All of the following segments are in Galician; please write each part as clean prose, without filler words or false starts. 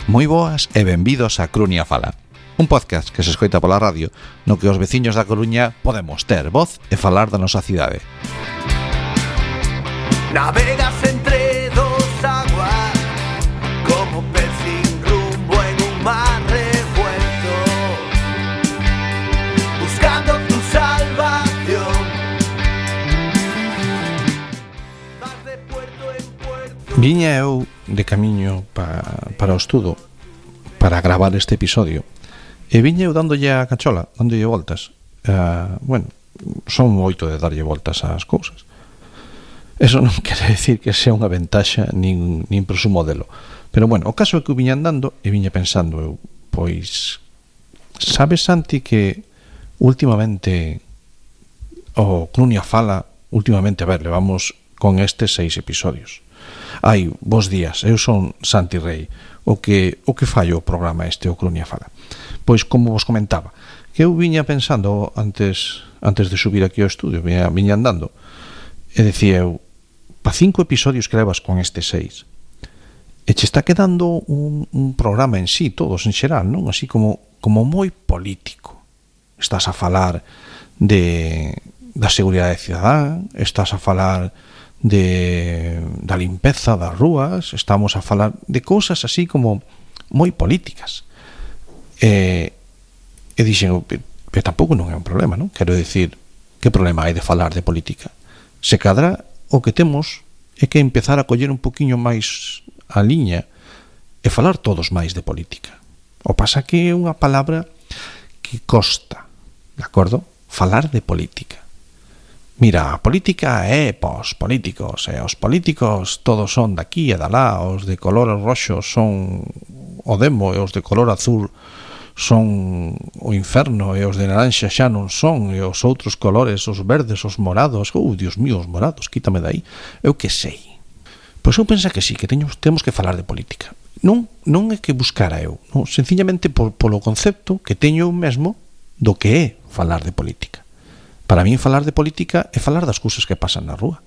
Moi boas e benvidos a Coruña Fala, un podcast que se escoita pola radio no que os veciños da Coruña podemos ter voz e falar da nosa cidade. Navegas entre dos aguas como pez sin rumbo en un mar revuelto, buscando tu salvación. Vas de puerto en puerto. Viña eu de camiño para o estudo para gravar este episodio e viña eu dándolle a cachola, dándolle voltas. Bueno, son moito de darlle voltas ás cousas. Eso non quere decir que sea unha ventaxa nin presumo delo. Pero bueno, o caso é que eu viña andando e viña pensando eu, pois sabes, Santi, que últimamente o Coruña Fala, últimamente, a ver, levamos con estes 6 episodios. Ai, bos días, eu son Santi Rei, o que fallo o programa este, o Coruña Fala. Pois, como vos comentaba, que eu viña pensando antes de subir aquí ao estudio, viña andando, e decía eu, pa 5 episodios que levas con este 6, e che está quedando un programa en sí, todos en xeral, non? Así como moi político. Estás a falar da seguridade cidadán, estás a falar da limpeza das rúas, estamos a falar de cousas así como moi políticas. E dixen, pero tampouco non é un problema, non? Quero dicir, que problema hai de falar de política? Se cadra, o que temos é que empezar a coller un poquinho máis a liña e falar todos máis de política. O pasa que é unha palabra que costa, de acordo? Falar de política. Mira, a política é pos políticos, e os políticos todos son daqui e dalá, os de color roxo son o demo e os de color azul son o inferno e os de naranxa xa non son, e os outros colores, os verdes, os morados, Dios mío, os morados, quítame dai, eu que sei. Pois eu penso que sí, que temos que falar de política. Non é que buscara eu, non? Sencillamente polo concepto que teño eu mesmo do que é falar de política. Para min falar de política é falar das cousas que pasan na rúa.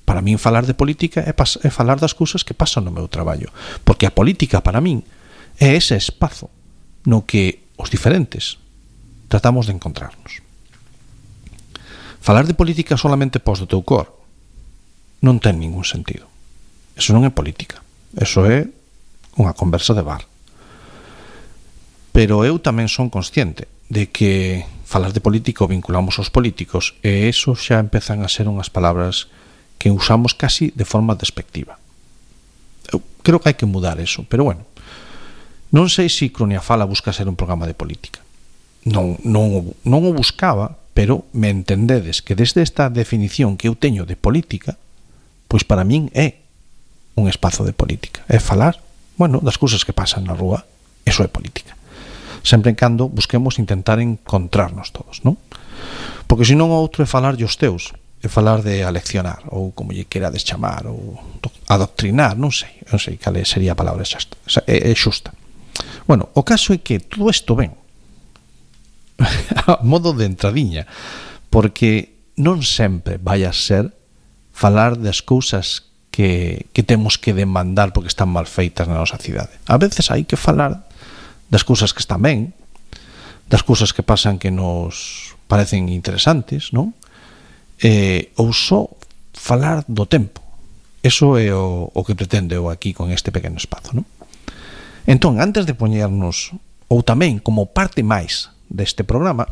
Para min falar de política é falar das cousas que pasan no meu traballo. Porque a política para min é ese espazo no que os diferentes tratamos de encontrarnos. Falar de política solamente pos do teu cor non ten ningún sentido. Eso non é política. Eso é unha conversa de bar. Pero eu tamén son consciente de que falar de política o vinculamos aos políticos e eso xa empezan a ser unhas palabras que usamos casi de forma despectiva. Eu creo que hai que mudar eso, pero bueno, non sei se Coruña Fala busca ser un programa de política. Non o buscaba, pero me entendedes que desde esta definición que eu teño de política, pois para min é un espazo de política. É falar, bueno, das cousas que pasan na rúa, eso é política. Sempre en cando busquemos intentar encontrarnos todos, non? Porque senón o outro é falar os teus, é falar de aleccionar, ou como lle querades chamar, ou adoctrinar, non sei cal sería a palabra xusta. É xusta. Bueno, o caso é que todo isto ven a modo de entradiña, porque non sempre vai a ser falar das cousas que temos que demandar porque están mal feitas na nosa cidade. A veces hai que falar das cousas que están ben, das cousas que pasan que nos parecen interesantes, non? Ou só falar do tempo. Eso é o que pretendo eu aquí con este pequeno espazo, non? Entón, antes de poñernos, ou tamén como parte máis deste programa,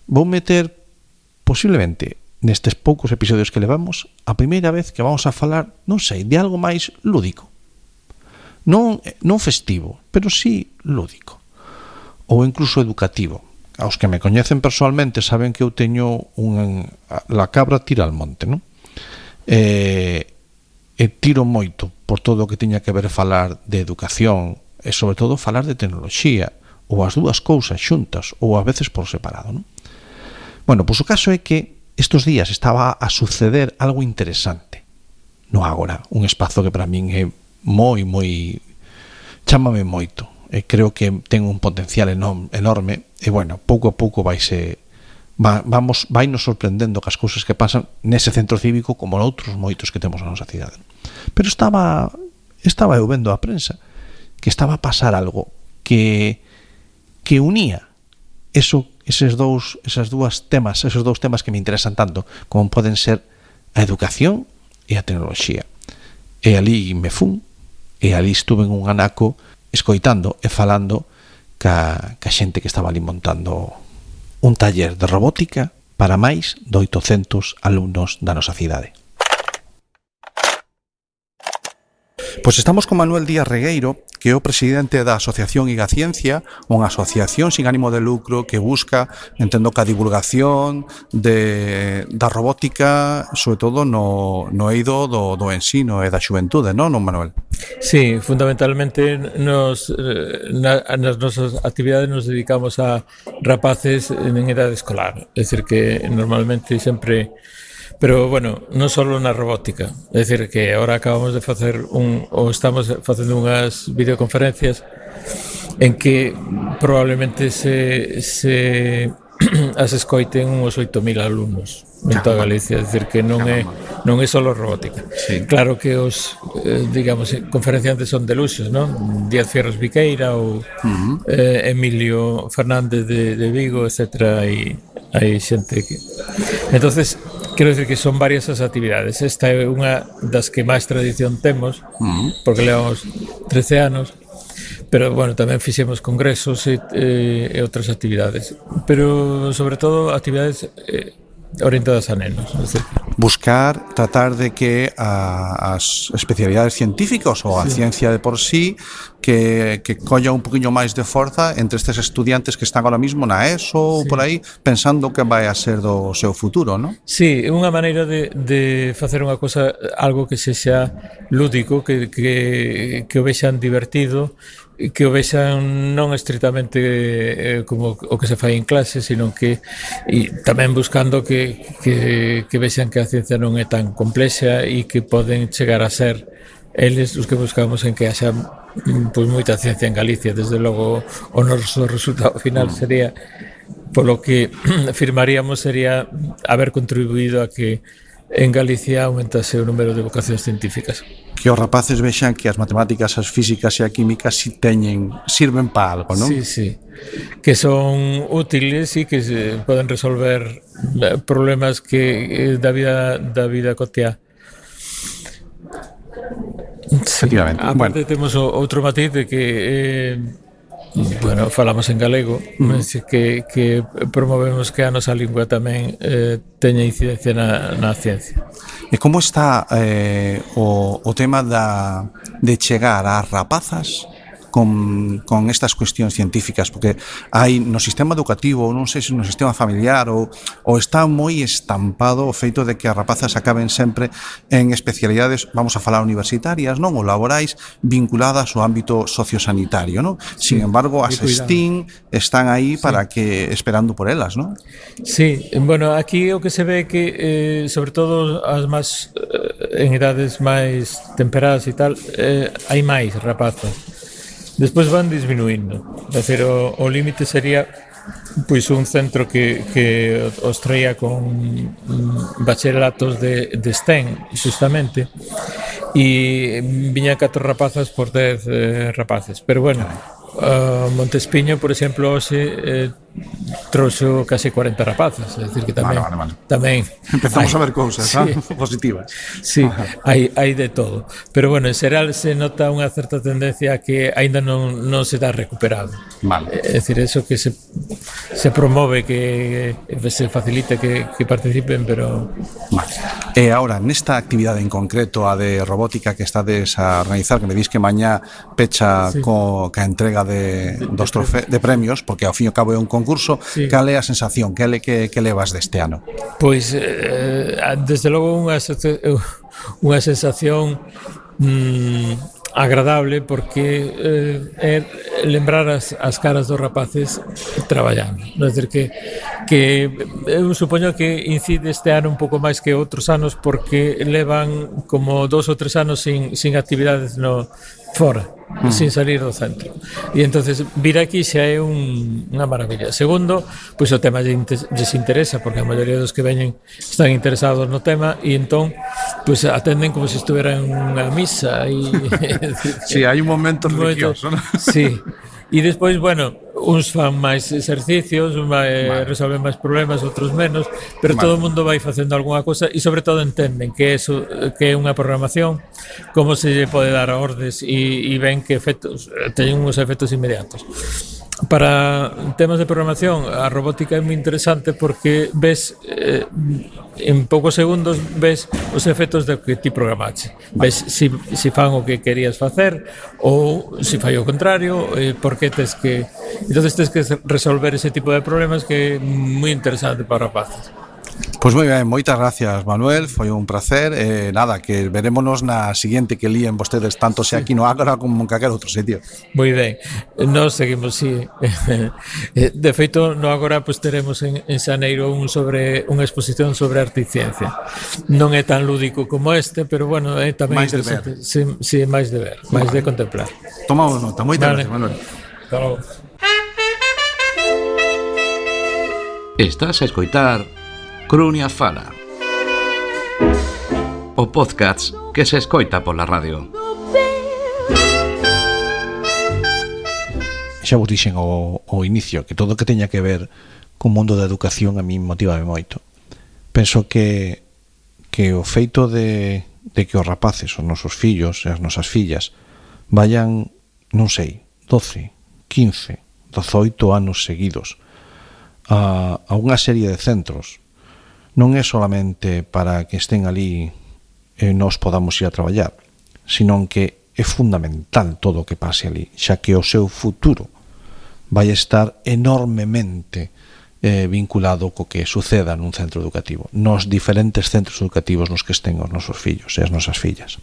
vou meter posiblemente nestes poucos episodios que levamos a primeira vez que vamos a falar, non sei, de algo máis lúdico. Non festivo, pero sí lúdico. Ou incluso educativo. Aos que me coñecen personalmente saben que eu teño la cabra tira al monte, non? E tiro moito por todo o que teña que ver falar de educación e sobre todo falar de tecnoloxía, ou as dúas cousas xuntas, ou a veces por separado, non? Bueno, pois o caso é que estes días estaba a suceder algo interesante no Ágora, un espazo que para min é moi chámame moito e creo que ten un potencial enorme e bueno, pouco a pouco vai nos sorprendendo que as cousas que pasan nese centro cívico como noutros moitos que temos na nosa cidade. Pero estaba estaba eu vendo a prensa que estaba a pasar algo que unía esos dous temas que me interesan tanto, como poden ser a educación e a tecnoloxía. E ali me fun, e ali estuve en un anaco escoitando e falando ca xente que estaba ali montando un taller de robótica para máis de 800 alumnos da nosa cidade. Pois estamos con Manuel Díaz Regueiro, que é o presidente da Asociación Igaciencia, unha asociación sin ánimo de lucro que busca, entendo que a divulgación da robótica, sobre todo no eido do ensino e da xuventude, non, Manuel? Sí, fundamentalmente nas nosas actividades nos dedicamos a rapaces en edade escolar, é dicir que normalmente sempre. Pero, bueno, non só na robótica. É dicir, que agora acabamos de facer estamos facendo unhas videoconferencias en que probablemente se as escoiten uns 8.000 alumnos en toda Galicia. É dicir, que non é só robótica. Sí. Claro que os, digamos, conferenciantes son de luxos, non? Díaz Fierros Viqueira ou Emilio Fernández de Vigo, etc. E hai xente que... Entonces, quero dicir que son varias as actividades. Esta é unha das que máis tradición temos, porque levamos 13 anos, pero, bueno, tamén fixemos congresos e outras actividades. Pero, sobre todo, actividades orientadas a nenos. Es decir, buscar, tratar de que as especialidades científicas ou a ciencia de por sí que colla un poquinho máis de forza entre estes estudiantes que están ahora mismo na ESO ou por aí, pensando que vai a ser do seu futuro, non? Sí, é unha maneira de facer unha cosa, algo que sexa lúdico, que o vexan divertido, que o vexan non estritamente como o que se fai en clase, sino que e tamén buscando que vexan que a ciencia non é tan complexa e que poden chegar a ser eles os que buscamos en que haxa pois moita ciencia en Galicia. Desde logo o noso resultado final sería, polo que afirmaríamos, sería haber contribuído a que en Galicia aumentase o número de vocacións científicas. Que os rapaces vexan que as matemáticas, as físicas e a química sirven para algo, non? Sí, sí. Que son útiles e que poden resolver problemas que da vida cotiá. Sí. Efectivamente. Aparte, temos outro matiz de que bueno, falamos en galego, que promovemos que a nosa lingua tamén teña incidencia na ciencia. E como está o tema de chegar ás rapazas con estas cuestións científicas? Porque hai no sistema educativo, non sei se no sistema familiar ou está moi estampado o feito de que as rapazas acaben sempre en especialidades, vamos a falar universitarias, non, ou laborais, vinculadas ao ámbito sociosanitario, non? Sí, sin embargo, as STEAM están aí para que esperando por elas, non? Sí, bueno, aquí o que se ve que sobre todo as máis en edades máis temperadas e tal, hai máis rapazas. Despois van disminuindo. É dicir, o límite sería pois un centro que os traía con bacharelatos de STEM, justamente, e viñan 4 rapazas por 10 rapaces. Pero, bueno, Montespiño, por exemplo, hoxe trouxo case 40 rapazas, é dicir que tamén tamén empezamos a ver cousas, positivas. Sí, hai de todo. Pero, bueno, en xeral se nota unha certa tendencia a que aínda non se dá recuperado. É dicir, eso que se promove, que se facilite que participen, pero... E agora, nesta actividade en concreto, a de robótica que estades a organizar, que me dis que mañá pecha ca entrega de premios, porque ao fin e ao cabo é un concurso, cal é a sensación, que levas deste ano? Pois, desde logo unha sensación agradable, porque é lembrar as caras dos rapaces traballando. É dicir, que eu supoño que incide este ano un pouco máis que outros anos, porque levan como 2 ou 3 anos sin actividades fora, sin salir do centro. E entonces vir aquí xa é unha maravilla. Segundo, pois o tema lles interesa, porque a maioría dos que veñen están interesados no tema, e entón pues atenden como se estuvera en unha misa e Sí, hai un momento religioso, ¿no? Sí. E despois, bueno, uns fan máis exercicios, resolven máis problemas, outros menos, pero todo o mundo vai facendo algunha cosa e sobre todo entenden que eso que é unha programación, como se lle pode dar ordes e ven que efectos teñen uns efectos inmediatos. Para temas de programación, a robótica é moi interesante porque ves en poucos segundos ves os efectos do que ti programaste. Ves si fan o que querías facer ou si fai o contrario, porque tes que entonces tes que resolver ese tipo de problemas que é moi interesante para rapaces. Pois moi ben, moitas gracias, Manuel, foi un placer. Nada, que verémonos na seguinte que líen vostedes tanto sea aquí no Ágora como en calquer outro sitio. Moi ben, nós seguimos, sí. De feito, no Ágora pues, teremos en xaneiro unha exposición sobre arte e ciencia. Non é tan lúdico como este, pero bueno, é tamén máis interesante. Sí, máis de ver, máis de contemplar. Tomamos nota, moitas gracias, Manuel. Hasta logo. Estás a escoitar Crunia Fala, o podcast que se escoita pola radio. Xa vos dixen ao inicio que todo o que teña que ver co mundo da educación a mí motivame moito. Penso que o feito de que os rapaces, os nosos fillos e as nosas fillas vayan, non sei, 12, 15, 18 anos seguidos a unha serie de centros non é solamente para que estén ali e nós podamos ir a traballar, senón que é fundamental todo o que pase ali, xa que o seu futuro vai estar enormemente vinculado co que suceda nun centro educativo, nos diferentes centros educativos nos que estén os nosos fillos e as nosas fillas.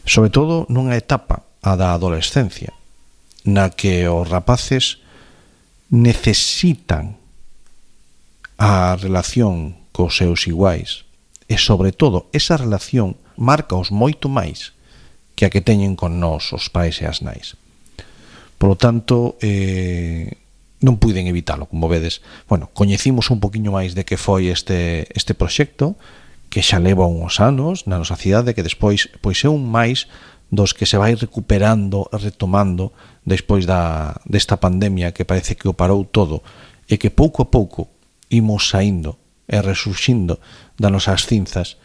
Sobre todo nunha etapa, a da adolescencia, na que os rapaces necesitan a relación cos seus iguais e, sobre todo, esa relación marcaos moito máis que a que teñen con nós, os pais e as nais. Por lo tanto, non puiden evitalo, como vedes. Bueno, coñecimos un poquinho máis de que foi este proxecto, que xa leva uns anos na nosa cidade, que despois pois é un máis dos que se vai recuperando e retomando despois desta pandemia que parece que o parou todo e que pouco a pouco imos saindo e resurxindo das nosas cinzas,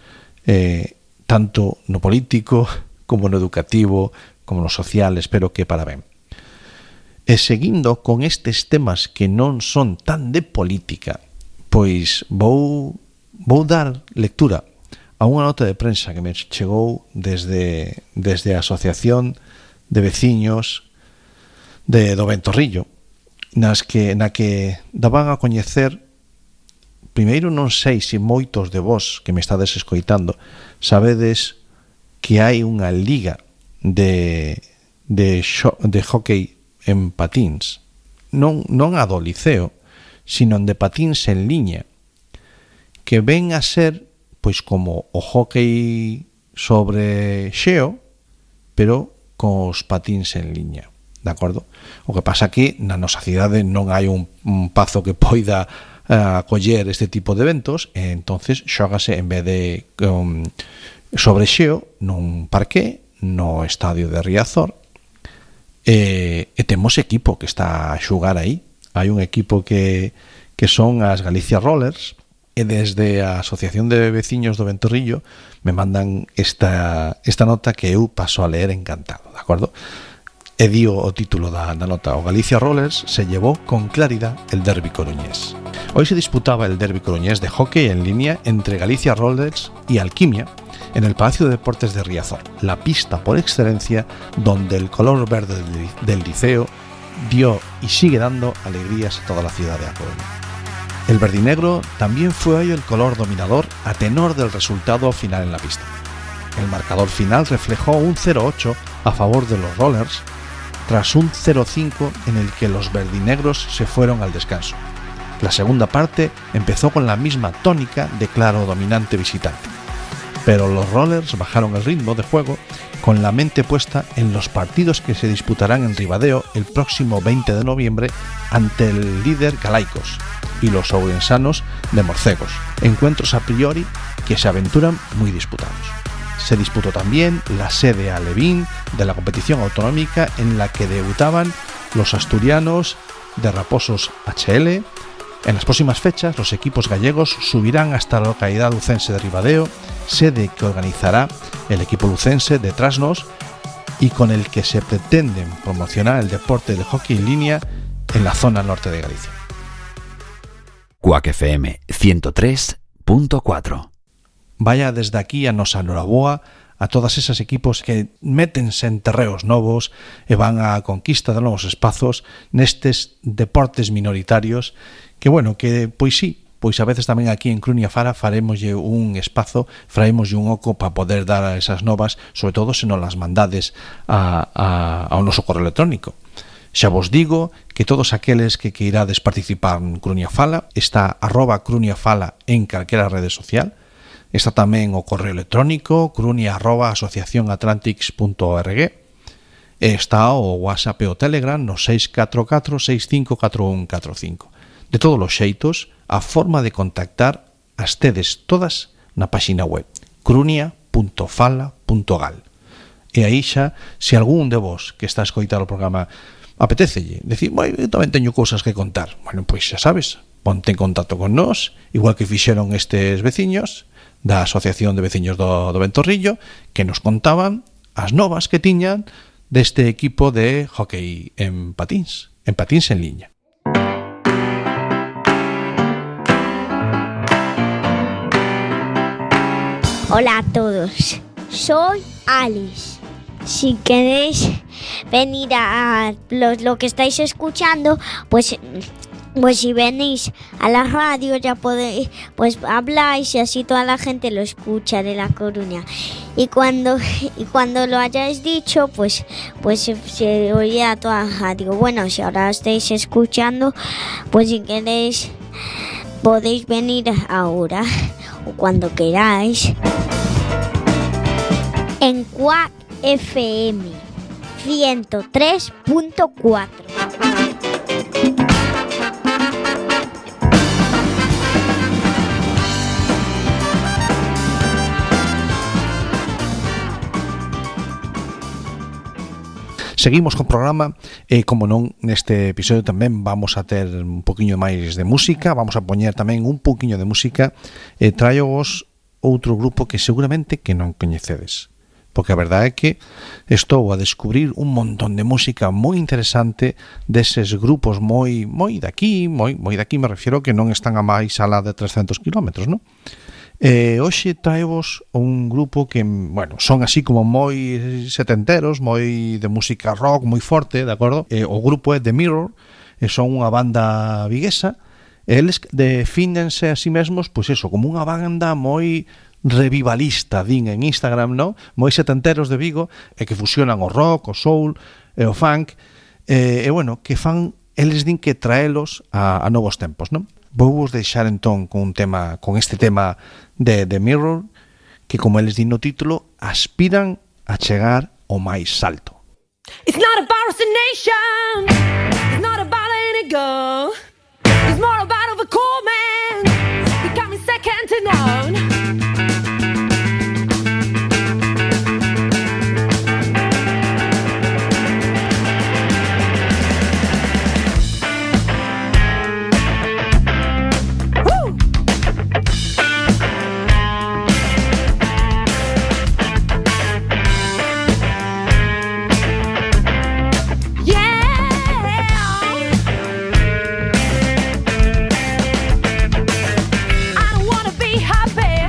tanto no político como no educativo como no social, espero que para ben. E seguindo con estes temas que non son tan de política, pois vou dar lectura a unha nota de prensa que me chegou desde a Asociación de Veciños do Ventorrillo, na que daban a coñecer. Primeiro, non sei se moitos de vós que me estades escoitando sabedes que hai unha liga de hockey en patíns, non a do liceo, sino de patíns en liña, que ven a ser pois como o hockey sobre xeo, pero cos patíns en liña, de acordo? O que pasa que na nosa cidade non hai un pazo que poida acoller este tipo de eventos, e entonces xógase en vez de sobre xeo nun parque no estadio de Riazor, e temos equipo que está a xugar aí. Hai un equipo que son as Galicia Rollers, e desde a Asociación de Veciños do Ventorrillo me mandan esta nota que eu paso a leer encantado, de acordo? E dio o título da nota: o Galicia Rollers se llevó con claridad el derbi coruñés. Hoy se disputaba el derbi coruñés de hockey en línea entre Galicia Rollers y Alquimia en el Palacio de Deportes de Riazor, la pista por excelencia donde el color verde del liceo dio y sigue dando alegrías a toda la ciudad de A Coruña. El verdinegro también fue hoy el color dominador a tenor del resultado final en la pista. El marcador final reflejó un 0-8 a favor de los Rollers, tras un 0-5 en el que los verdinegros se fueron al descanso. La segunda parte empezó con la misma tónica de claro dominante visitante. pero los Rollers bajaron el ritmo de juego con la mente puesta en los partidos que se disputarán en Ribadeo el próximo 20 de noviembre ante el líder Galaicos y los ourensanos de Morcegos, encuentros a priori que se aventuran muy disputados. Se disputó también la sede alevín de la competición autonómica en la que debutaban los asturianos de Raposos HL. En las próximas fechas, los equipos gallegos subirán hasta la localidad lucense de Ribadeo, sede que organizará el equipo lucense de Trasnos y con el que se pretenden promocionar el deporte de hockey en línea en la zona norte de Galicia. Cuac FM 103.4. Vaya desde aquí a nosa noraboa a todas esas equipos que métense en terreos novos e van á conquista de novos espazos nestes deportes minoritarios que, bueno, que pois sí, pois a veces tamén aquí en Crunia Fala faremoslle un espazo, faremoslle un oco para poder dar a esas novas, sobre todo se non las mandades ao noso correo electrónico. Xa vos digo que todos aqueles que irades participar en Crunia Fala, está @cruniafala en calquera rede social. Está tamén o correo electrónico crunia@asociacionatlantics.org. Está o WhatsApp e o Telegram no 644 654145. De todos os xeitos, a forma de contactar as tedes todas na páxina web crunia.fala.gal. E aí xa, se algún de vos que está a escoitar o programa apetecelle decir, eu tamén teño cousas que contar, bueno, pois xa sabes, ponte en contacto con nós, igual que fixeron estes veciños da Asociación de Veciños do Ventorrillo, que nos contaban as novas que tiñan deste equipo de hockey en patins en liña. Hola a todos, soy Alice. Si queréis venir a lo que estáis escuchando, pues si venís a la radio ya podéis, pues habláis y así toda la gente lo escucha de La Coruña. Y cuando lo hayáis dicho, pues se oía toda la radio. Bueno, si ahora estáis escuchando, pues si queréis podéis venir ahora o cuando queráis en Cuac FM 103.4. Seguimos con o programa e, como non, neste episodio tamén vamos a ter un poquinho máis de música, vamos a poñer tamén un poquinho de música e traio-vos outro grupo que seguramente que non coñecedes, porque a verdade é que estou a descubrir un montón de música moi interesante deses grupos moi daqui me refiro que non están a máis alá de 300 kilómetros, non? Hoxe traevos un grupo que, bueno, son así como moi setenteros, moi de música rock, moi forte, de acordo? O grupo é The Mirror, son unha banda viguesa, eles defínense a sí mesmos, pois eso, como unha banda moi revivalista, din en Instagram, non? Moi setenteros de Vigo, e que fusionan o rock, o soul e o funk, e bueno, que fan, eles din que traelos a novos tempos, non? Vou vos deixar entón con este tema de The Mirror, que como eles din no título, aspiran a chegar ao máis alto. It's not about destination, it's not about any goal, it's more about a cool man becoming second to none. Happy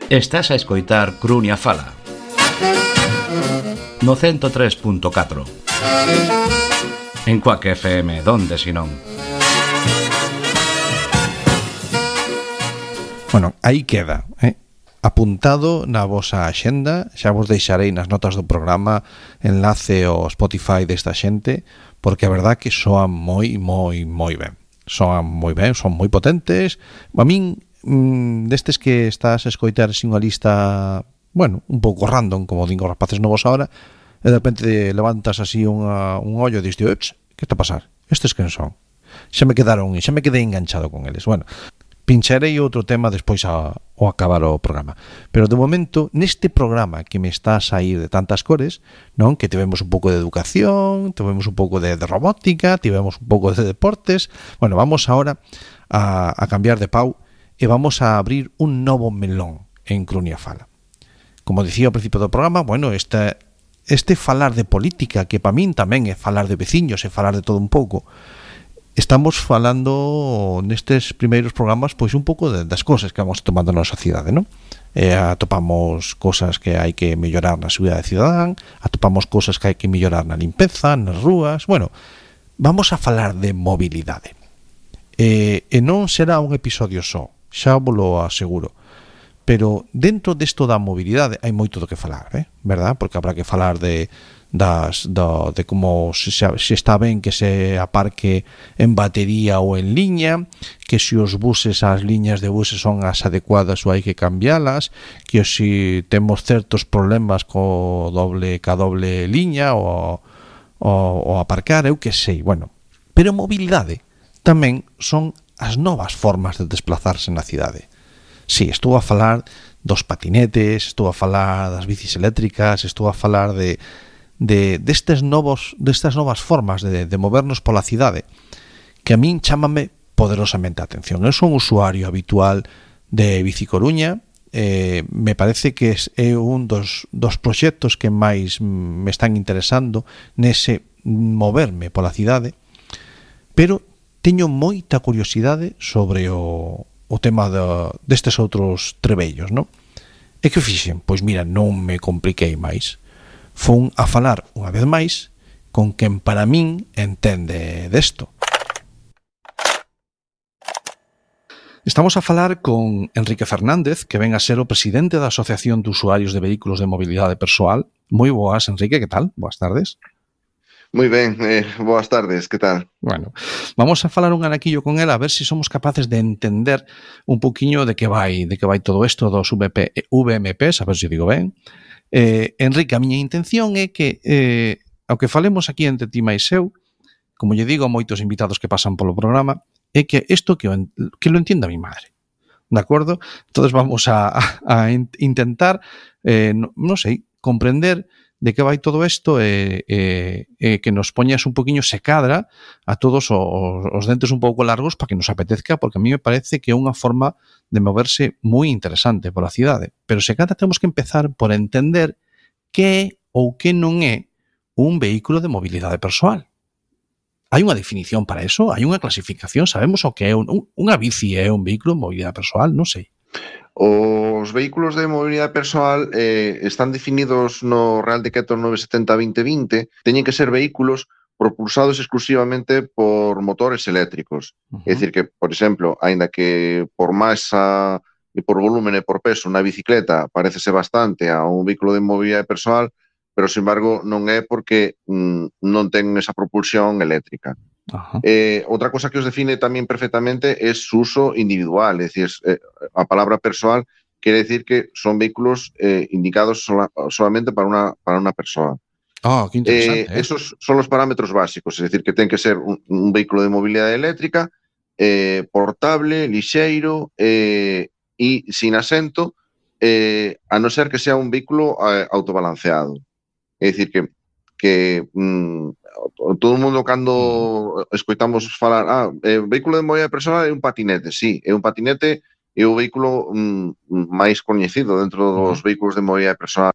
Estás a escoitar Crunia Fala no 103.4 en Quack FM, donde si non. Bueno, aí queda, apuntado na vosa axenda. Xa vos deixarei nas notas do programa enlace ao Spotify desta xente, porque a verdad que soan moi ben. Soan moi ben, son moi potentes. A min, destes que estás a escoitar sin unha lista, bueno, un pouco random, como din os rapaces novos ahora, e de repente levantas así un ollo e diste, que está a pasar? Estes quen son? Xa me quedei enganchado con eles. Bueno, pincharei outro tema despois ao acabar o programa. Pero de momento, neste programa que me está a sair de tantas cores, non, que tivemos un pouco de educación, tivemos un pouco de robótica, tivemos un pouco de deportes. Bueno, vamos ahora a cambiar de pau e vamos a abrir un novo melón en Crunia Fala. Como dicía ao principio do programa, bueno, este falar de política, que para min tamén é falar de veciños, é falar de todo un pouco. Estamos falando nestes primeiros programas pois un pouco das cosas que vamos tomando na sociedade, non? Atopamos cosas que hai que mellorar na seguridade cidadán, atopamos cosas que hai que mellorar na limpeza, nas rúas. Bueno, vamos a falar de mobilidade. E non será un episodio só, xa vos lo aseguro. Pero dentro desto da mobilidade hai moito do que falar, verdad? Porque habrá que falar de como se está ben que se aparque en batería ou en liña, que se os buses, as liñas de buses son as adecuadas ou hai que cambialas, que se temos certos problemas ca doble liña ou aparcar, eu que sei, bueno. Pero mobilidade tamén son as novas formas de desplazarse na cidade. Sí, estou a falar dos patinetes, estou a falar das bicis eléctricas, estou a falar destas novas formas de movernos pola cidade, que a min chámame poderosamente a atención. Eu son usuario habitual de Bici Coruña, me parece que é un dos proxectos que máis me están interesando nese moverme pola cidade, pero teño moita curiosidade sobre o tema destes outros trebellos, non? E que fixen? Pois mira, non me compliquei máis. Fun a falar unha vez máis con quen para min entende desto. Estamos a falar con Enrique Fernández, que ven a ser o presidente da Asociación de Usuarios de Vehículos de Mobilidade Persoal. Moi boas, Enrique, que tal? Boas tardes. Moi ben, boas tardes, que tal? Bueno, vamos a falar un anaquillo con ela a ver se somos capaces de entender un poquinho de que vai todo isto dos VMPs, a ver se digo ben. Enrique, a miña intención é que ao que falemos aquí entre ti máis eu, como lle digo a moitos invitados que pasan polo programa, é que isto que lo entienda mi madre. De acordo? Entonces vamos a intentar non sei, comprender de que vai todo isto e que nos poñas un poquinho se cadra a todos os dentes un pouco largos para que nos apetezca, porque a mí me parece que é unha forma de moverse moi interesante pola cidade. Pero se cadra temos que empezar por entender que é ou que non é un vehículo de mobilidade persoal. Hai unha definición para eso? Hai unha clasificación? Sabemos o que é unha bici é un vehículo de mobilidade persoal? Non sei. Os vehículos de mobilidade persoal están definidos no Real Decreto 970/2020, teñen que ser vehículos propulsados exclusivamente por motores eléctricos. É dicir que, por exemplo, aínda que por masa e por volumen e por peso unha bicicleta parecese bastante a un vehículo de mobilidade persoal, pero, sin embargo, non é porque non ten esa propulsión eléctrica. Outra cosa que os define tamén perfectamente é su uso individual, é dicir, a palabra persoal quere decir que son vehículos indicados solamente para unha persoa. Que interesante. Esos son os parámetros básicos, é dicir, que ten que ser un vehículo de mobilidade eléctrica, portable, lixeiro e sin asento, a non ser que sea un vehículo autobalanceado. É dicir, que todo o mundo cando escoitamos falar vehículo de mobilidade persoal é un patinete, sí, é un patinete, é o vehículo máis coñecido dentro dos vehículos de mobilidade persoal.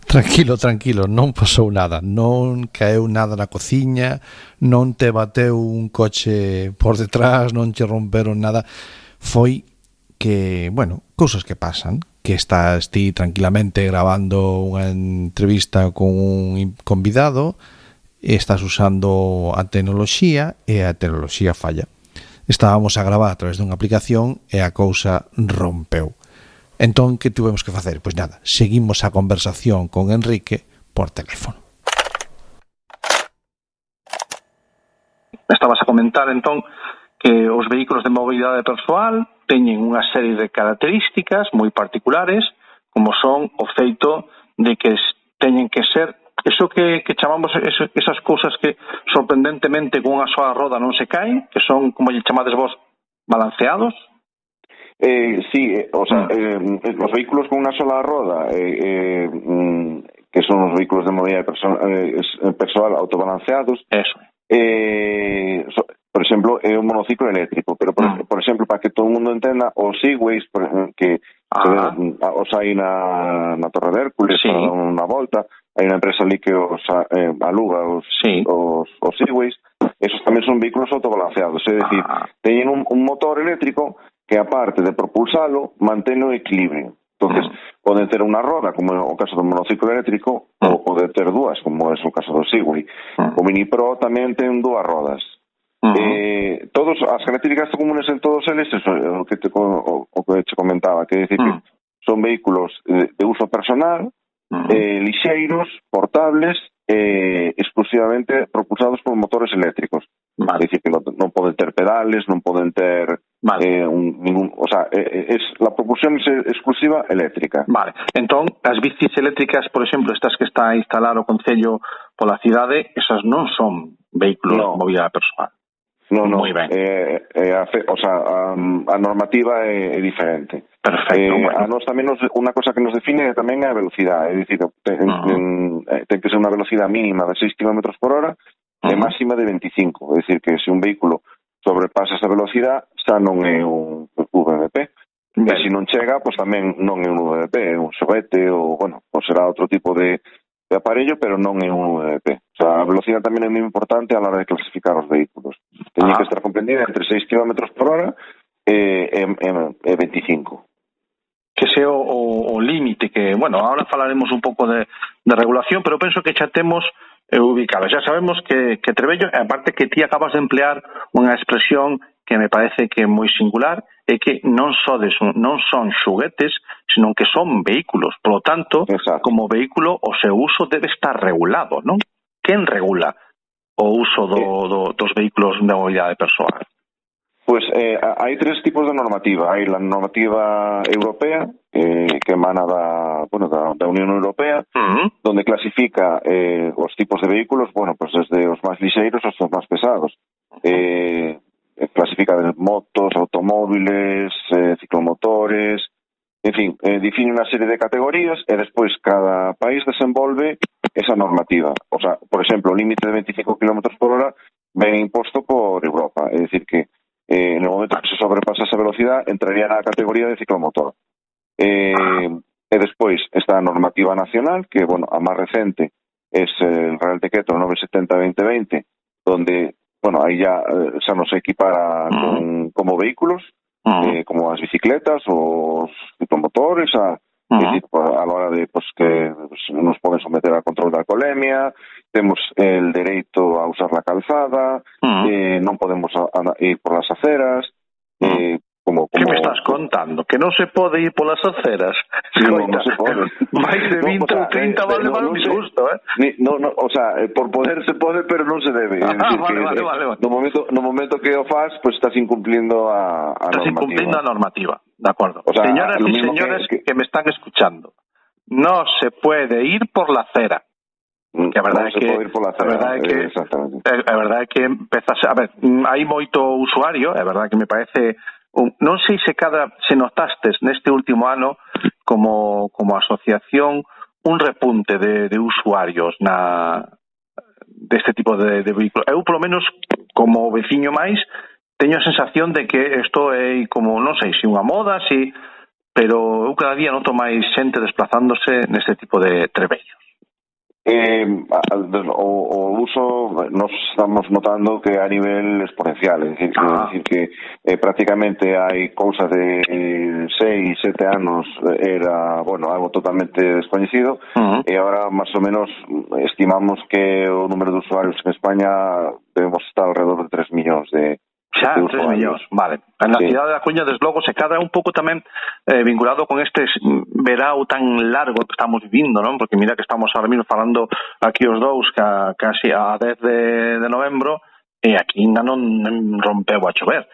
Tranquilo, non pasou nada, non caeu nada na cociña, non te bateu un coche por detrás, non te romperon nada. foi que, bueno, cousas que pasan, que estás ti tranquilamente grabando unha entrevista con un convidado, estás usando a tecnoloxía e a tecnoloxía falla. Estábamos a gravar a través dunha aplicación e a cousa rompeu. Entón, que tuvemos que facer? Pois nada, seguimos a conversación con Enrique por teléfono. Estabas a comentar, entón, que os vehículos de mobilidade persoal teñen unha serie de características moi particulares, como son o feito de que teñen que ser eso que chamamos esas cousas que sorprendentemente con unha sola roda non se caen, que son, como lle chamades vos, balanceados. Sí, o sea, los vehículos con una sola roda, que son los vehículos de movilidad personal autobalanceados, eso. Por exemplo, é un monociclo eléctrico, pero por exemplo, para que todo o mundo entenda, os Segways que os hai na Torre de Hércules, sí, para dar unha volta, hai unha empresa ali que os aluga os Segways, esos tamén son vehículos autobalanceados, é dicir, teñen un motor eléctrico que aparte de propulsalo, mantén o equilibrio. Entonces, poden ter unha roda, como é o caso do monociclo eléctrico, ou poden ter dúas, como é o caso do Segway. O Mini Pro tamén ten dúas rodas. As características comunes en todos eles, eso, o que te comentaba, que decir que son vehículos de uso personal, lixeiros, portables, exclusivamente propulsados por motores eléctricos. Vale. É dicir, que non poden ter pedales, non poden ter o sea, la propulsión es exclusiva eléctrica. Vale. Entón, as bicis eléctricas, por exemplo, estas que está a instalar o Concello pola cidade, esas non son vehículos de mobilidade persoal. No. Moi ben. O sea, a normativa é diferente. Perfecto. A nos tamén unha cosa que nos define tamén é a velocidade, é dicir, ten que ser unha velocidade mínima de 6 km por hora e máxima de 25, é dicir, que se un vehículo sobrepasa esa velocidade xa non é un VMP. E se non chega, pois tamén non é un VMP, é un xoguete ou, bueno, pois será outro tipo de aparello, pero non é un VMP. O sea, a velocidade tamén é moi importante a la hora de clasificar os vehículos. Teñen que estar comprendida entre 6 km por hora e 25. Que sea o límite que, bueno, ahora falaremos un pouco de regulación, pero penso que xa temos ubicadas. Ya sabemos que Trebello, aparte que ti acabas de emplear unha expresión que me parece que é moi singular, é que non son xoguetes, senón que son vehículos. Por lo tanto, como vehículo, o seu uso debe estar regulado, non? Quen regula o uso dos vehículos de mobilidade persoal? Pues hai tres tipos de normativa. Hai a normativa europea, que emana da Unión Europea, donde clasifica os tipos de vehículos, bueno, pues desde os máis lixeiros aos máis pesados. Clasifica de motos, automóviles, ciclomotores, en fin, define unha serie de categorías e despois cada país desenvolve esa normativa. O sea, por exemplo, o límite de 25 km por hora ven imposto por Europa, é dicir que en el momento que se sobrepasa esa velocidade entraría na categoría de ciclomotor. E despois está a normativa nacional, que, bueno, a máis recente es el Real Decreto 970-2020, donde, bueno, aí ya nos equipara como vehículos, como as bicicletas, os ciclomotores, a la hora de que nos poden someter a control de alcoholemia, temos el dereito a usar la calzada, non podemos ir por las aceras, Que me estás contando? Que non se pode ir polas aceras? Sí, non se pode. Mais de 20 ou 30 vale un disgusto, o sea, por poder se pode, pero non se debe. Vale. No momento que o fas, pues estás incumpliendo a normativa. Estás incumpliendo a normativa, de acuerdo. O sea, señoras y señores que me están escuchando, no se puede ir por la acera. Que a verdade é que empezas a ver, hai moito usuario, é verdade que me parece non sei se notastes neste último ano como asociación un repunte de usuarios deste tipo de vehículos. Eu, polo menos, como veciño máis, teño a sensación de que isto é como, non sei se unha moda, pero eu cada día noto máis xente desplazándose neste tipo de trebellos. O uso nos estamos notando que a nivel exponencial, é dicir que prácticamente hai cousa de 6, 7 anos era, bueno, algo totalmente descoñecido, e agora máis ou menos estimamos que o número de usuarios en España debemos estar alrededor de 3 millóns de Xa, 3 millóns, vale. Na cidade da Coruña, desde logo, se cadra un pouco tamén vinculado con este verao tan largo que estamos vivindo, non? Porque mira que estamos ahora mismo falando aquí os dous casi a 10 de novembro e aquí ainda non rompeu a chover.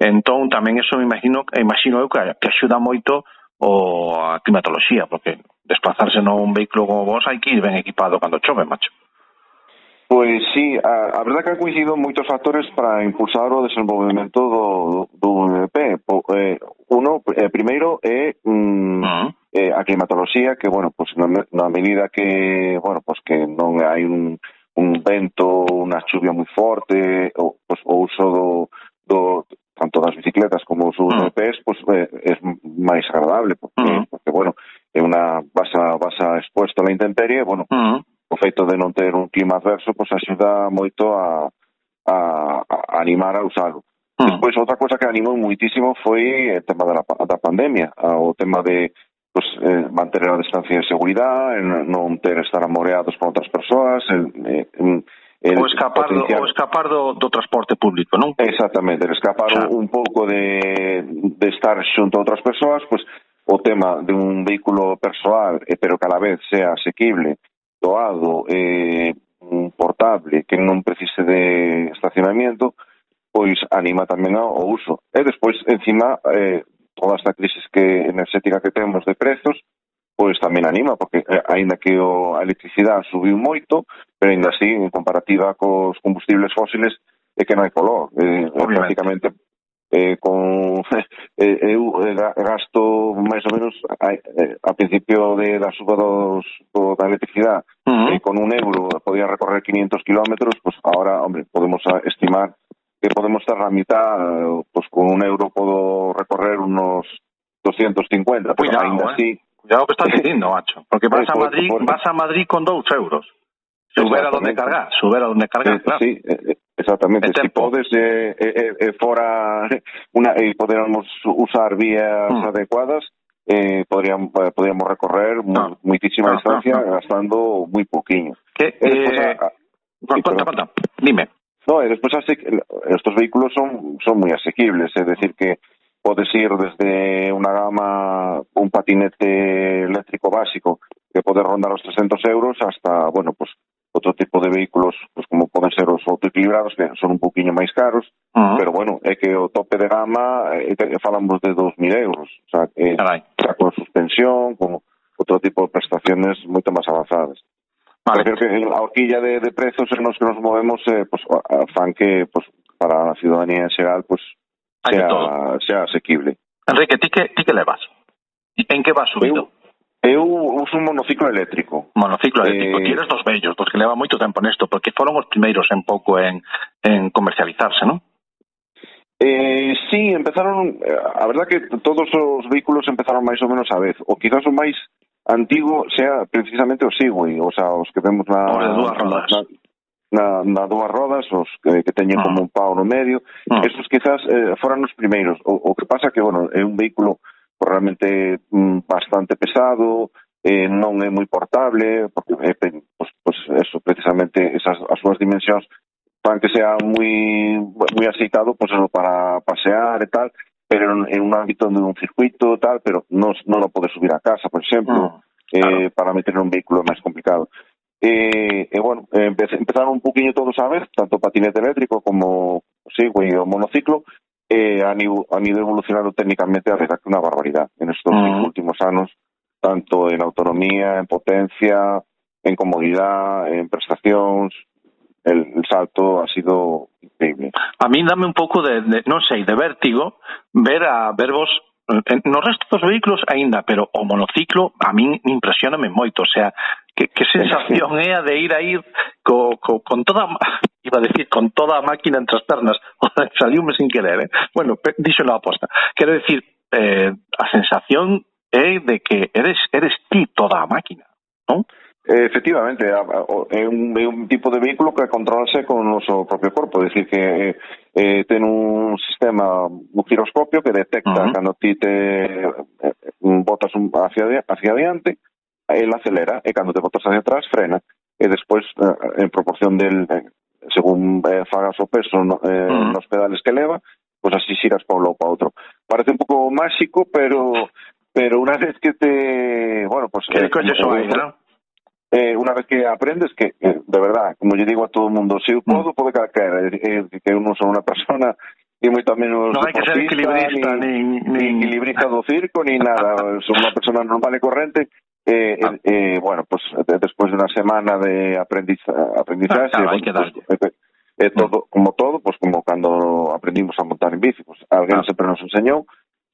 Entón, tamén eso imagino eu que axuda moito a climatoloxía, porque desplazarse nun vehículo como vos hai que ir ben equipado cando chove, macho. Pois sí, a verdade que han coincidido moitos factores para impulsar o desenvolvemento do VP. Primeiro é a climatoloxía, que, bueno, pues na medida que, bueno, pues que non hai un vento, unha chuvia moi forte, o uso do tanto das bicicletas como os VPs, pues é máis agradable, porque bueno, é unha vas expuesto a la intemperie, bueno, o feito de non ter un clima adverso pois axuda moito a animar a usalo. Despois, outra cosa que animou muitísimo foi o tema da pandemia, o tema de manter a distancia de seguridade, non estar amoreados con outras persoas, o escapar do transporte público, non? Exactamente, escapar un pouco de estar xunto a outras persoas, pois o tema de un vehículo persoal, pero que a la vez sea asequible, doado, portable, que non precise de estacionamiento, pois anima tamén ao uso. E despois, encima, toda esta crisis enerxética que temos de prezos, pois tamén anima, porque aínda que a electricidade subiu moito, pero aínda así, en comparativa cos combustibles fósiles, é que non hai color. Prácticamente, eu gasto máis ou menos a principio da suba da electricidade, con €1 podía recorrer 500 kilómetros, pues ahora, hombre, podemos estimar que podemos estar a mitad, pues con €1 puedo recorrer unos 250, pero ainda así... Cuidado que estás dicindo, macho, porque vas a Madrid con €2. Subera donde cargar, claro. Sí, exactamente. Si podes fora e poderamos usar vías adecuadas, podríamos recorrer muitísima distancia gastando moi poquinho. Conta, dime. No, e despois estos vehículos son moi asequibles, é decir que podes ir desde unha gama, un patinete eléctrico básico que pode rondar os €300 hasta, bueno, pues outro tipo de vehículos, pues como poden ser os autoequilibrados, que son un poquinho máis caros, pero bueno, é que o tope de gama falamos de €2.000, o sea, con suspensión, con outro tipo de prestaciones moito máis avanzadas. Vale. Creo que a horquilla de prezos en los que nos movemos pues, fan que pues, para a ciudadanía en xeral pues, sea asequible. Enrique, ti que levas? En que vas subido? Eu uso un monociclo eléctrico. Monociclo eléctrico. Ti eres dos bellos, dos que leva moito tempo nesto, porque foron os primeiros en pouco en comercializarse, non? Sí, empezaron, a verdad que todos os vehículos empezaron máis ou menos a vez, o quizás o máis antigo sea precisamente o Segway, o sea, os que vemos na dúas rodas, os que teñen como un pau no medio, esos quizás foran os primeiros. O que pasa que, bueno, é un vehículo realmente bastante pesado, non é moi portable, porque pues eso, precisamente as súas dimensións fan que sea moi aceitado pues eso, para pasear e tal, pero en un ámbito de un circuito tal, pero non lo pode subir a casa, por exemplo, claro. Para meter un vehículo máis complicado. Bueno, empezaron un poquinho todos a ver, tanto patinete eléctrico como Segway o monociclo, han ido evolucionando técnicamente a verdad que unha barbaridade en estos últimos anos, tanto en autonomía, en potencia, en comodidade, en prestacións. El salto ha sido increíble. A mí dame un pouco de non sei, de vértigo ver vos no resto dos vehículos aínda, pero o monociclo a min impresioname moito, o sea, que sensación é a de ir con toda, iba a decir, con toda a máquina entre as pernas, saliume sin querer, bueno, díxelo a posta. Quero decir, a sensación é de que eres ti toda a máquina, non? Efectivamente, é un tipo de vehículo que controlase con o noso propio corpo, é dicir que ten un sistema, un giroscopio que detecta cando ti te botas hacia adiante, el acelera, e cando te botas hacia atrás frena, e despois en proporción del según fagas o peso nos pedales que leva, pues así xiras pa un lado pa outro. Parece un pouco máxico, pero unha vez que te, bueno, pues que colles o aire, ¿no? Una vez que aprendes que, de verdad, como yo digo a todo el mundo, si puedo calquera, que eu non son unha persona ni moito menos non hai que ser equilibrista ni equilibrista do circo ni nada, son unha persona normal e corrente. Bueno, pues despois de unha semana de aprendizaxe, hai que darlle. todo, como todo, pues como cando aprendimos a montar en bici, pues alguén sempre nos enseñou,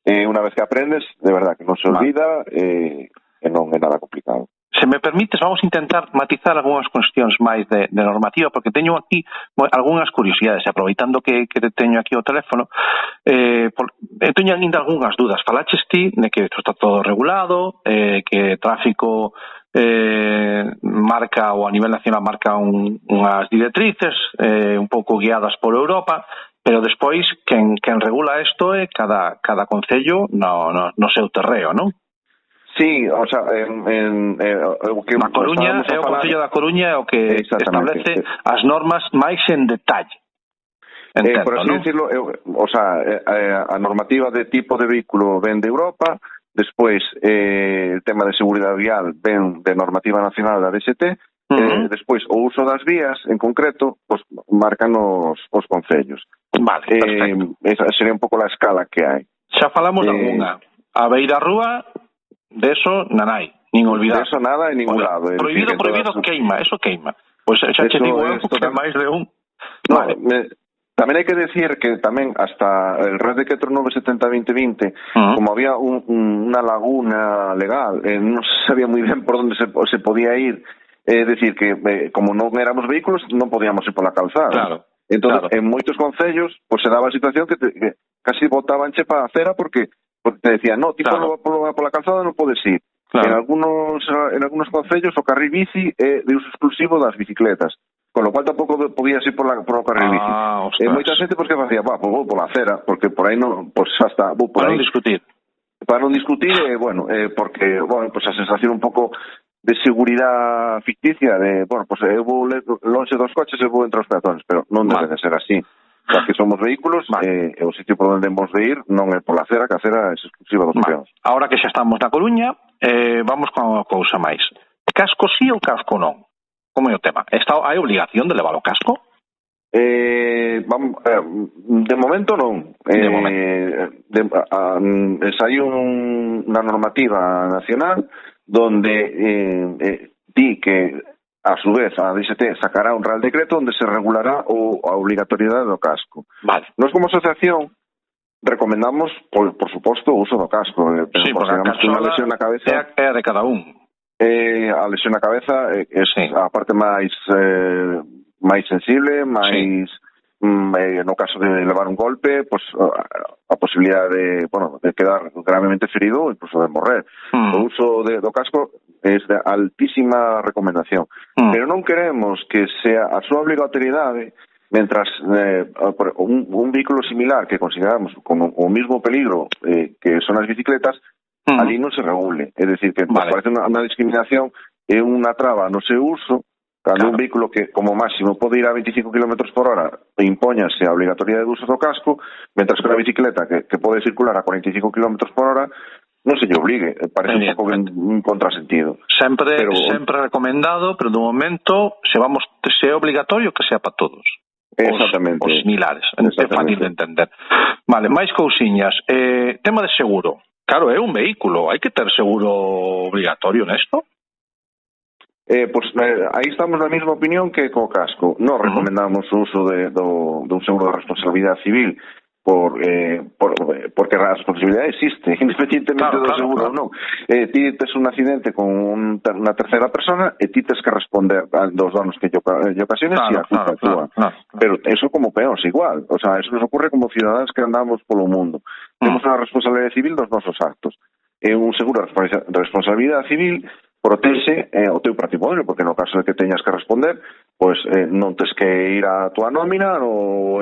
unha vez que aprendes, de verdad que non se olvida, e non é nada complicado. Se me permites, vamos a intentar matizar algunhas cuestións máis de normativa, porque teño aquí algunhas curiosidades, aproveitando que teño aquí o teléfono, teño ainda algunhas dudas. Falaches ti de que isto está todo regulado, que tráfico marca, ou a nivel nacional marca unhas directrices un pouco guiadas por Europa, pero despois quen regula isto é cada concello no seu terreo, non? Sí, o sea, o que a Coruña é o Concello da Coruña o que establece as normas máis en detalle. Entendo, por así decirlo, o sea, a normativa de tipo de vehículo ven de Europa, despois el tema de seguridade vial ven de normativa nacional da DST, despois o uso das vías en concreto, pues marcan os concellos. Vale, perfecto. Esa sería un pouco a escala que hai. Xa falamos de alguna. A beira rúa, de eso nanai, nin olvidar. De eso nada en ningún lado. Prohibido, queima, eso queima. Pois xa che digo eu que máis de un. No, vale. Tamén hai que decir que tamén hasta el Real Decreto 970-2020, como había unha laguna legal, non se sabía moi ben por onde se podía ir, é dicir que como non éramos vehículos non podíamos ir pola calzada. Claro. Entón, en moitos concellos, pues se daba a situación que casi botabanche para a acera porque te decían, no, ti pola calzada non podes ir. Claro. En algunos concellos o carril bici é de uso exclusivo das bicicletas, con lo cual tampouco podías ir por o carril bici. Moita xente pues que facía, pues vou pola acera, porque por aí non, pues hasta vou por aí. Para non discutir, bueno, porque, bueno, pues a sensación un pouco de seguridade ficticia, de, bueno, pues eu vou lonxe dos coches e vou entre os peatones, pero non debe de ser así. Xa que somos vehículos, o sitio por onde hemos de ir non é pola acera, que a acera é exclusiva dos peóns. Ahora que xa estamos na Coruña, vamos con unha cousa máis. Casco sí ou casco non? Como é o tema? Hai obligación de levar o casco? De momento non. Saiu unha normativa nacional donde di que a su vez a DST sacará un Real Decreto onde se regulará a obligatoriedade do casco. Vale. Nós como asociación recomendamos, por suposto, o uso do casco. Sí, porque a lesión na cabeza é a de cada un. A lesión na cabeza é a parte máis sensible, máis no caso de levar un golpe, pues a posibilidade de quedar gravemente ferido ou incluso de morrer. O uso do casco é de altísima recomendación. Pero non queremos que sea a súa obrigatoriedade mentras un vehículo similar que consideramos como o mismo peligro que son as bicicletas, ali non se regule. É dicir, que parece unha discriminación e unha traba no seu uso. Cando un vehículo que, como máximo, pode ir a 25 km por hora impóñase a obligatoriedade de uso do casco, mentras que unha bicicleta que pode circular a 45 km por hora non se lle obligue. Parece un pouco un contrasentido. Sempre recomendado, pero no momento se é obligatorio que sea para todos. Exactamente. Os similares. É fácil de entender. Vale, máis cousiñas. Tema de seguro. Claro, é un vehículo. Hai que ter seguro obligatorio nesto? Pues aí estamos na mesma opinión que co casco. Non recomendamos o uso dun seguro de responsabilidade civil porque a responsabilidade existe, independentemente do seguro ou non. Ti tes un accidente con unha terceira persona e ti tes que responder dos danos que lle ocasiones e a culpa túa. Pero eso como peóns igual. O sea, eso nos ocurre como ciudadanos que andamos polo mundo. Temos unha responsabilidade civil dos nosos actos. Un seguro de responsabilidade civil protexe o teu patrimonio, porque no caso de que teñas que responder, pois non tes que ir á tua nómina ou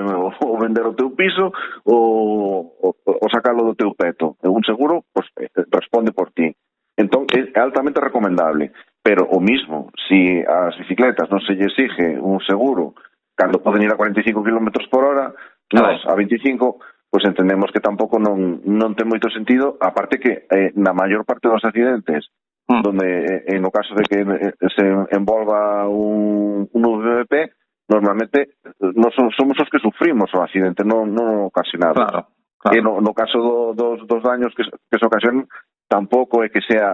vender o teu piso ou sacalo do teu peto. Un seguro pois, responde por ti. Entón, é altamente recomendable. Pero o mismo, si as bicicletas non se lle exige un seguro cando poden ir a 45 km por hora, nós a 25, pois entendemos que tampouco non ten moito sentido, aparte que na maior parte dos accidentes donde no caso de que se envolva un VMP, normalmente non somos os que sufrimos o accidente, non ocasionado. Claro. E no caso dos daños que se ocasionan, tampouco é que sea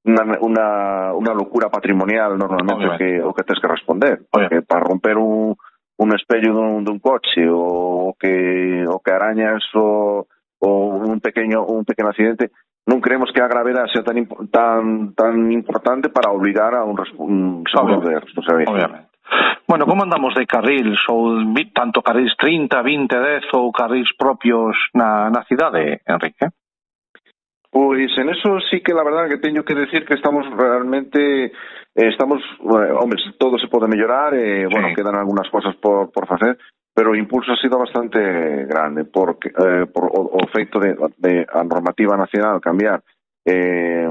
unha locura patrimonial normalmente o que tens que responder. Porque para romper un espello dun coche o que arañas o un pequeno accidente, non creemos que a gravedade sea tan importante para obligar a un seguro de responsabilidade. Obviamente. Bueno, como andamos de carrils? Ou tanto carrils 30, 20, 10 ou carrils propios na cidade, Enrique? Pois en eso sí que la verdad que teño que decir que estamos realmente hombre, todo se pode mellorar, bueno, quedan algunhas cosas por facer, pero o impulso ha sido bastante grande porque por o feito de a normativa nacional cambiar,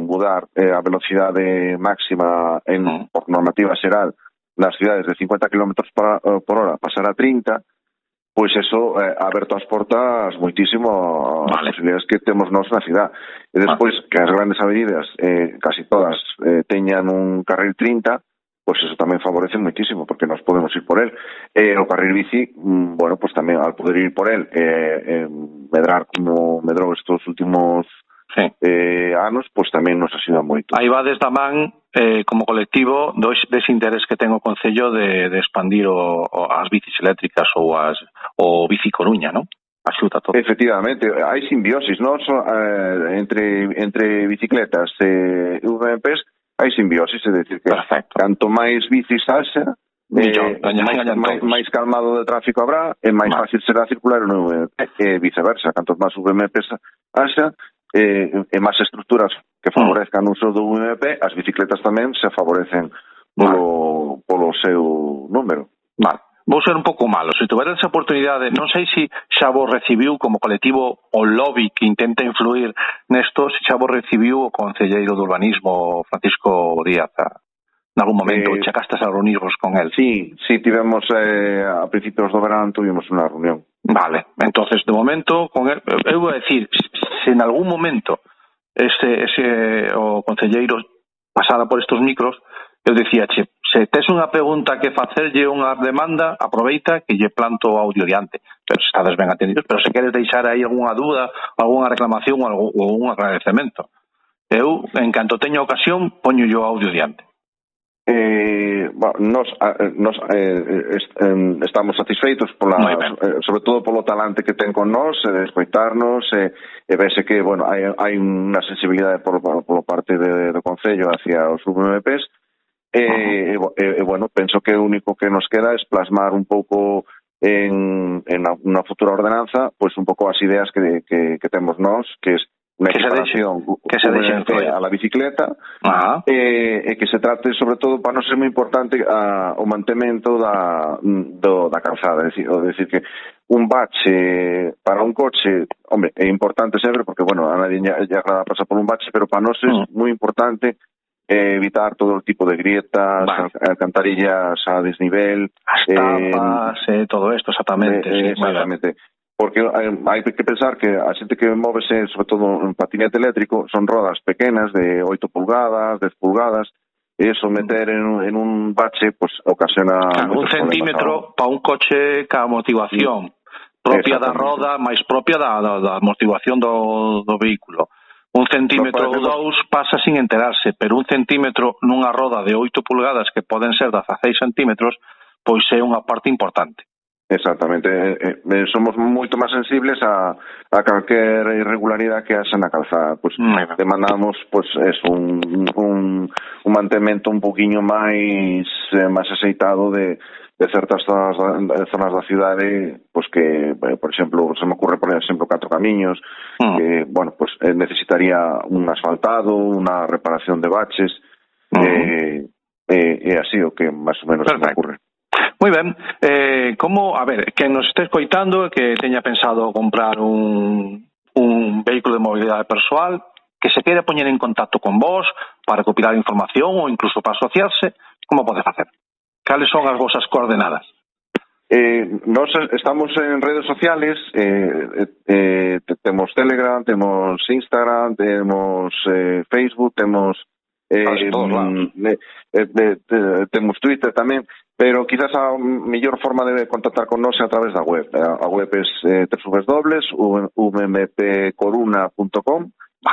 mudar a velocidade máxima por normativa xeral nas cidades de 50 km por hora pasar a 30, pois eso ha aberto as portas moitísimo as posibilidades que temos nós na cidade. E despois que as grandes avenidas casi todas teñan un carril 30, pois eso tamén favorece moitísimo, porque nós podemos ir por él. O carril bici, bueno, pois tamén al poder ir por él, medrar como medrou estos últimos anos, pois tamén nos axuda moito. Aí va desde a man como colectivo dese interés que ten o Concello de expandir as bicis eléctricas ou Bici Coruña, non? Axuda todo. Efectivamente, hai simbiosis, non? Entre bicicletas e VMPs hai simbiosis, é dicir que canto máis bicis haxa, máis calmado de tráfico habrá e máis fácil será circular no VMP, e viceversa, canto máis VMPs haxa e máis estruturas que favorezcan o uso do VMP, as bicicletas tamén se favorecen polo seu número. Vale. Vou ser un pouco malo. Se tuveras esa oportunidade, non sei se xa vos recibiu como colectivo o lobby que intenta influir nesto, se xa vos recibiu o concelleiro de urbanismo Francisco Díaz en algún momento, checastes a reunirvos con él. Sí, tivemos a principios do verán tuvimos unha reunión. Vale, entonces de momento con él, eu vou decir, se en algún momento o concelleiro pasara por estos micros, eu dicía, se tes unha pregunta que facerlle unha demanda, aproveita que lle planto o audio diante. Pero se estades ben atendidos, pero se queres deixar aí algunha dúda, algunha reclamación ou un agradecemento, eu, en canto teño ocasión, poño o audio diante. Nos estamos satisfeitos sobre todo polo talante que ten con nós, de escoitarnos, e vese que, bueno, hai unha sensibilidade por parte do Concello hacia os VMPs. Bueno, penso que o único que nos queda es plasmar un pouco en unha futura ordenanza, pois un pouco as ideas que temos nós, que es unha equiparación a la bicicleta, e que se trate sobre todo, para non ser moi importante, o mantemento da calzada, é dicir que un bache para un coche, hombre, é importante sempre porque, bueno, a nadie lle agrada pasar por un bache, pero para nós é moi importante evitar todo o tipo de grietas, alcantarillas a desnivel, as tapas, todo isto, exactamente. Exactamente. Porque hai que pensar que a xente que móvese, sobre todo en patinete eléctrico, son rodas pequenas de 8 pulgadas, 10 pulgadas, e eso meter en un bache, pues ocasiona un centímetro para un coche ca amortiguación propia da roda, máis propia da amortiguación do vehículo. Un centímetro ou dous pasa sin enterarse, pero un centímetro nunha roda de 8 pulgadas que poden ser 16 centímetros, pois é unha parte importante. Exactamente, somos moito máis sensibles a calquer irregularidade que haxa na calzada. Pois demandamos un mantemento un poquinho máis aceitado de certas zonas da cidade, pois que, por exemplo, se me ocurre, por exemplo, 4 camiños, que, bueno, pois necesitaría un asfaltado, unha reparación de baches, E así o que máis ou menos me ocurre. Moi ben, como, a ver, quen nos este escoitando que teña pensado comprar un vehículo de mobilidade persoal, que se queira poñer en contacto con vos para recopilar información ou incluso para asociarse, como pode facer? Cales son as vosas coordenadas? Nos estamos en redes sociales, temos Telegram, temos Instagram, temos Facebook, temos temos Twitter tamén, pero quizás a mellor forma de contactar con nós é a través da web. A web é www.umpcoruna.com.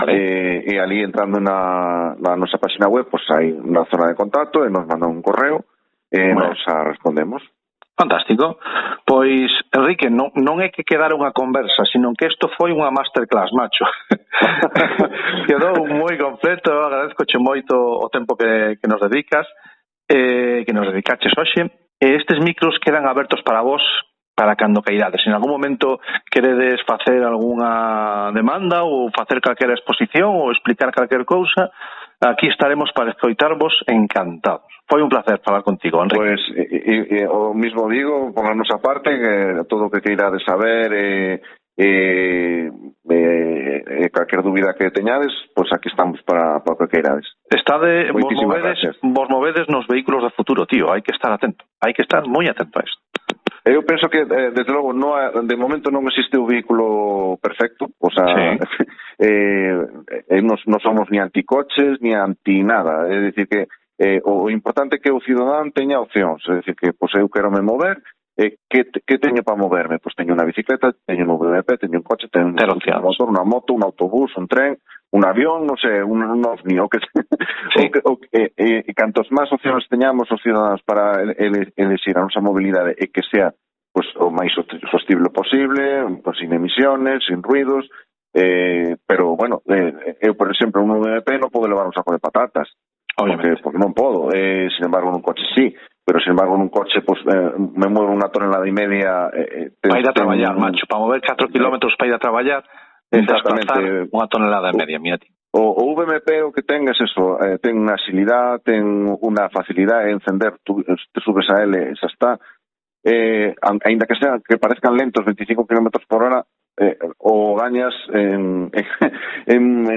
E ali entrando na nosa página web, pois hai unha zona de contacto e nos mandan un correo e nos respondemos. Fantástico. Pois, Enrique, non é que quedara unha conversa, sino que isto foi unha masterclass, macho. Quedou moi completo, agradezcoche moito o tempo que nos dedicas, que nos dedicaches hoxe. Estes micros quedan abertos para vos para cando cairades. En algún momento queredes facer algunha demanda ou facer calquera exposición ou explicar calquer cousa, aquí estaremos para escoitarvos encantados. Foi un placer falar contigo, Enrique. Pois, o mismo digo, por a nosa parte, que todo o que queirades saber calquer dúbida que teñades, pois aquí estamos para o que queirades. Vos movedes nos vehículos do futuro, tío, hai que estar atento, hai que estar moi atento a isto. Eu penso que, desde logo, de momento non existe o vehículo perfecto, o sea, non somos ni anticoches, ni anti nada, é dicir que o importante é que o cidadán teña opcións, é dicir que, pois, eu quero me mover, que teño para moverme? Pois teño unha bicicleta, teño un VMP, teño un coche, teño un motor, unha moto, un autobús, un tren, un avión, non sei, un ovni, e cantos máis opcións teñamos os ciudadanos para elegir a nosa mobilidade e que sea pues, o máis sostible posible, pues, sin emisiones, sin ruidos, pero, bueno, eu, por exemplo, un VMP non podo levar un saco de patatas, porque non podo, sin embargo, nun coche sí, pero, sin embargo, nun coche, pues, me muevo unha tonelada e media. Para ir a traballar, macho, para mover 4 kilómetros para ir a traballar, desplazar unha tonelada e media, mira ti. O VMP o que ten é eso, ten unha agilidade, ten unha facilidade en encender, te subes a ele, xa está, ainda que parezcan lentos 25 km por hora, o gañas en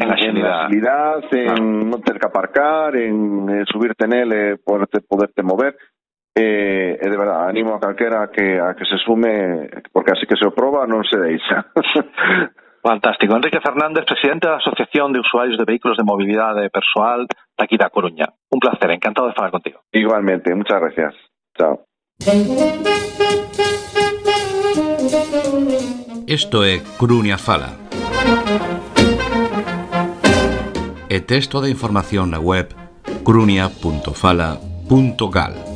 agilidade, en non ter que aparcar, en subirte nele, poderte mover, e de verdade, animo a calquera a que se sume, porque así que se o proba non se deixa. Fantástico. Enrique Fernández, presidente da Asociación de Usuarios de Vehículos de Movilidade Persoal daqui da Coruña. Un placer, encantado de falar contigo. Igualmente, muchas gracias. Chao. Isto é Coruña Fala. E texto de información na web coruña.fala.gal.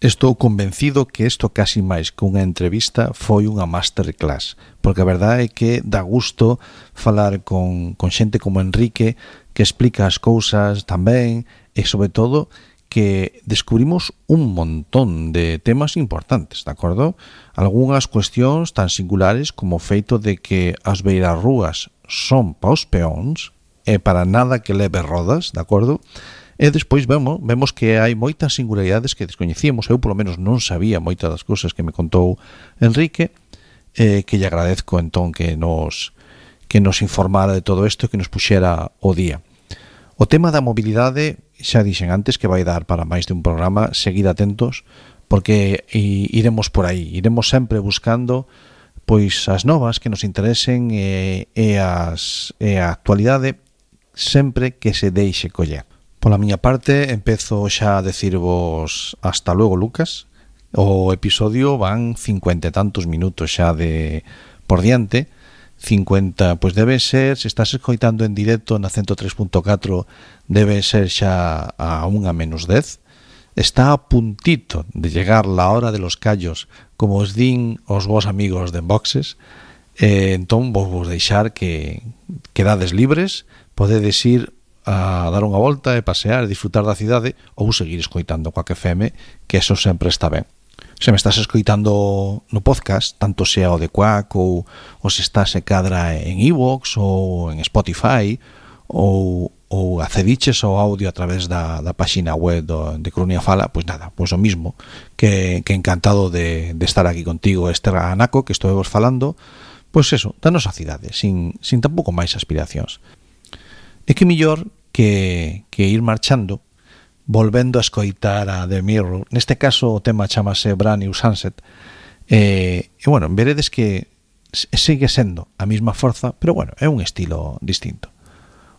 Estou convencido que isto casi máis que unha entrevista foi unha masterclass, porque a verdade é que dá gusto falar con xente como Enrique, que explica as cousas tamén, e sobre todo que descubrimos un montón de temas importantes, de acordo? Algúnas cuestións tan singulares como o feito de que as beirarrúas son para os peóns e para nada que leve rodas, de acordo? E despois vemos que hai moitas singularidades que descoñecíamos. Eu, polo menos, non sabía moitas das cousas que me contou Enrique, que lle agradezco, entón, que nos informara de todo isto e que nos puxera o día. O tema da mobilidade, xa dixen antes que vai dar para máis de un programa, seguid atentos, porque iremos por aí, iremos sempre buscando pois as novas que nos interesen e a actualidade sempre que se deixe coller. Pola miña parte, empezo xa a decirvos hasta luego, Lucas. O episodio van 50 e tantos minutos xa de por diante. 50, pois debe ser, se estás escoitando en directo na 103.4, debe ser xa a 1:10. Está a puntito de llegar la hora de los callos, como os din os vos amigos de Enboxes. Entón, vos deixar que quedades libres, podedes ir a dar unha volta e pasear e disfrutar da cidade ou seguir escoitando Quack FM, que eso sempre está ben. Se me estás escoitando no podcast, tanto sea o de Quack ou se estás e cadra en iVoox ou en Spotify ou accediches ao audio a través da páxina web de Coruña Fala, pois nada, pois o mismo, que encantado de estar aquí contigo, Anaco, que estou vos falando, pois eso, da nosa cidade, sin tampouco máis aspiracións. É que mellor que ir marchando, volvendo a escoitar a The Mirror. Neste caso o tema chamase Brand New Sunset, e bueno, veredes que sigue sendo a mesma forza, pero bueno, é un estilo distinto.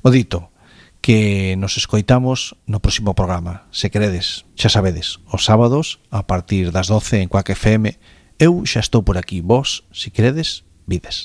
O dito, que nos escoitamos no próximo programa, se queredes, xa sabedes, os sábados a partir das 12 en Quack FM. Eu xa estou por aquí, vos, se queredes, vides.